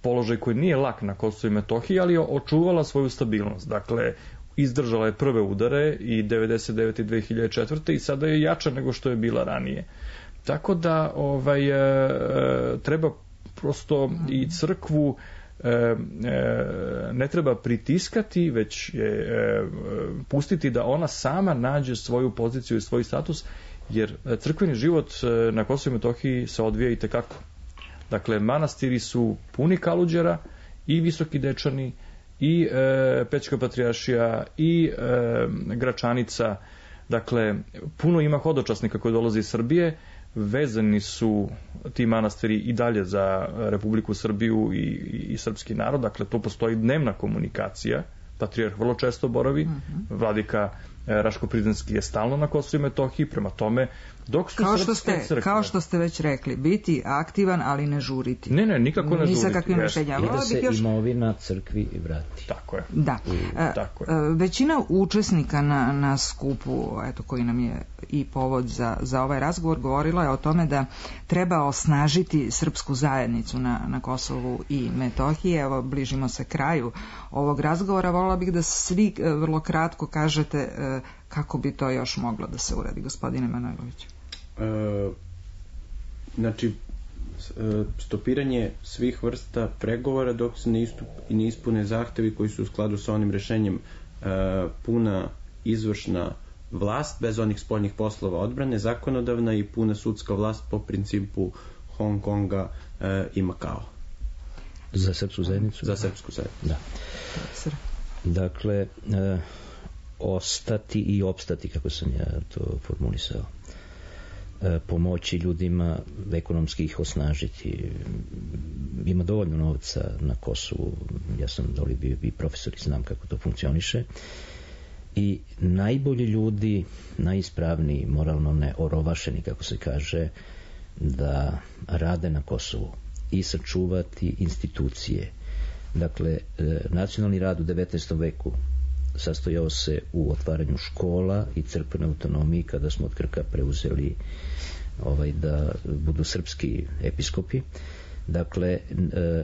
položaj koji nije lak na Kosovu i Metohiji, ali je očuvala svoju stabilnost. Dakle, izdržala je prve udare i devedeset devete i dve hiljade četvrte i sada je jača nego što je bila ranije. Tako da ovaj, e, treba prosto i crkvu e, e, ne treba pritiskati, već je, e, pustiti da ona sama nađe svoju poziciju i svoj status, jer crkveni život na Kosovu i Metohiji se odvija i tekako. Dakle, manastiri su puni kaluđera i Visoki Dečani i e, Pećka patrijaršija i e, Gračanica. Dakle, puno ima hodočasnika koji dolaze iz Srbije. vezani su ti manastiri i dalje za Republiku Srbiju i, i, i srpski narod, dakle to postoji dnevna komunikacija, patrijarh vrlo često boravi, mm-hmm. vladika Raško-Prizrenski je stalno na Kosovu i Metohiji, prema tome dok su kao što ste crkve, kao što ste već rekli, biti aktivan, ali ne žuriti. Ne, ne, nikako ne žuriti. Ni sa kakvim rešenjama. I da se još... imovina crkvi vrati. Tako je. Da. I, tako je. Većina učesnika na, na skupu, eto, koji nam je i povod za, za ovaj razgovor, govorila je o tome da treba osnažiti srpsku zajednicu na, na Kosovu i Metohiji. Evo, bližimo se kraju ovog razgovora. Volila bih da svi vrlo kratko kažete kako bi to još moglo da se uradi, gospodine Manojlović. E, znači, stopiranje svih vrsta pregovora dok se ne, istup, ne ispune zahtevi koji su u skladu sa onim rešenjem e, puna izvršna vlast bez onih spoljnih poslova odbrane, zakonodavna i puna sudska vlast po principu Hong Konga e, i Makao. Za srpsku zajednicu? Za srpsku zajednicu. Da. Dakle, e, ostati i opstati, kako sam ja to formulisao. E, pomoći ljudima, ekonomski ih osnažiti. Ima dovoljno novca na Kosovu, ja sam doli bio i profesor i znam kako to funkcioniše. I najbolji ljudi, najispravniji, moralno ne orovašeni, kako se kaže, da rade na Kosovu i sačuvati institucije. Dakle, nacionalni rad u devetnaestom veku sastojao se u otvaranju škola i crkvenoj autonomiji kada smo od Krka preuzeli ovaj, da budu srpski episkopi. Dakle,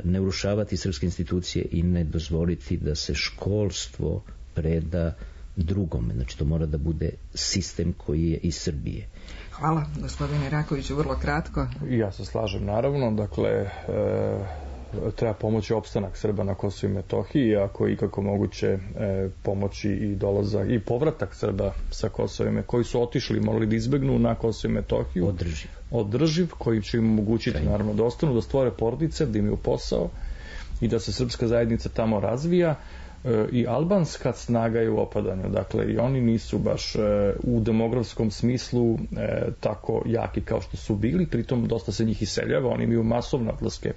ne urušavati srpske institucije i ne dozvoliti da se školstvo preda drugome. Znači, to mora da bude sistem koji je iz Srbije. Hvala, gospodine Rakoviću, vrlo kratko. Ja se slažem, naravno. Dakle, e, treba pomoći opstanak Srba na Kosovu i Metohiji, ako je ikako moguće e, pomoći i dolazak i povratak Srba sa Kosova, koji su otišli, morali da izbegnu na Kosovu i Metohiju. Održiv. Održiv, koji će im omogućiti, Krajno. naravno, da ostanu, da stvore porodice, da imaju posao i da se srpska zajednica tamo razvija. I albanska snaga je u opadanju, dakle i oni nisu baš e, u demografskom smislu e, tako jaki kao što su bili, pritom dosta se njih iseljava, oni imaju masovne odlaske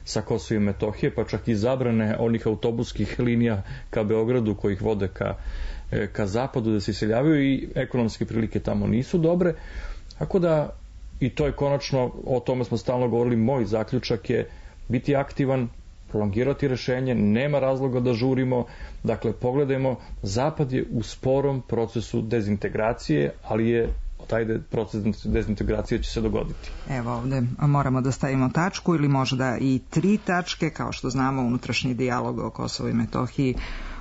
sa Kosova i Metohije, pa čak i zabrane onih autobuskih linija ka Beogradu koji ih vode ka, e, ka zapadu da se iseljavaju i ekonomske prilike tamo nisu dobre, tako da i to je konačno, o tome smo stalno govorili, moj zaključak je biti aktivan, prolongirati rešenje, nema razloga da žurimo, dakle pogledajmo, Zapad je u sporom procesu dezintegracije, ali je taj proces dezintegracije će se dogoditi. Evo ovde moramo da stavimo tačku ili možda i tri tačke, kao što znamo unutrašnji dijalog o Kosovu i Metohiji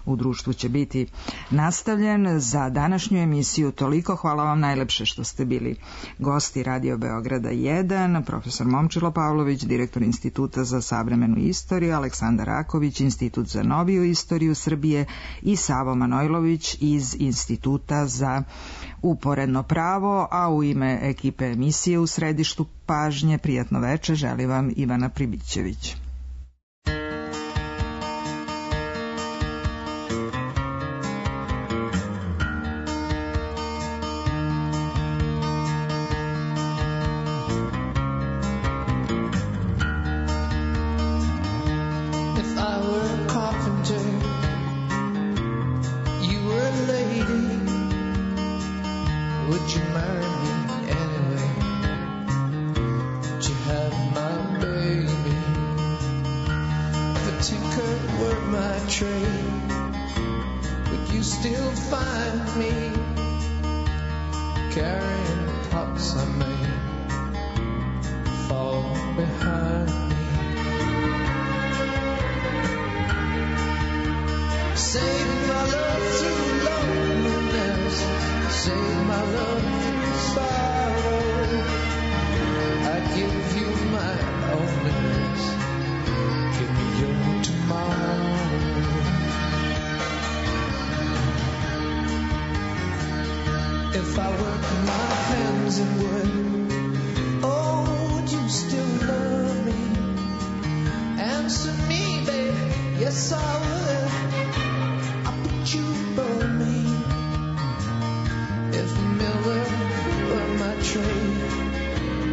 u društvu će biti nastavljen. Za današnju emisiju toliko. Hvala vam najlepše što ste bili gosti Radio Beograda jedan, profesor Momčilo Pavlović, direktor Instituta za savremenu istoriju, Aleksandar Raković, Institut za noviju istoriju Srbije i Savo Manojlović iz Instituta za uporedno pravo, a u ime ekipe emisije u središtu pažnje prijatno veče želi vam Ivana Pribićević.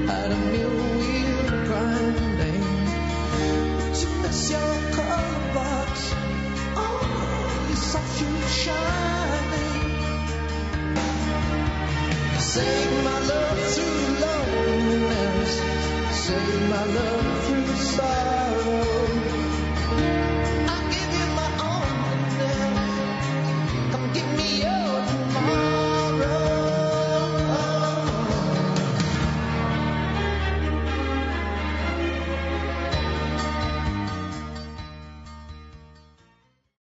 out of music.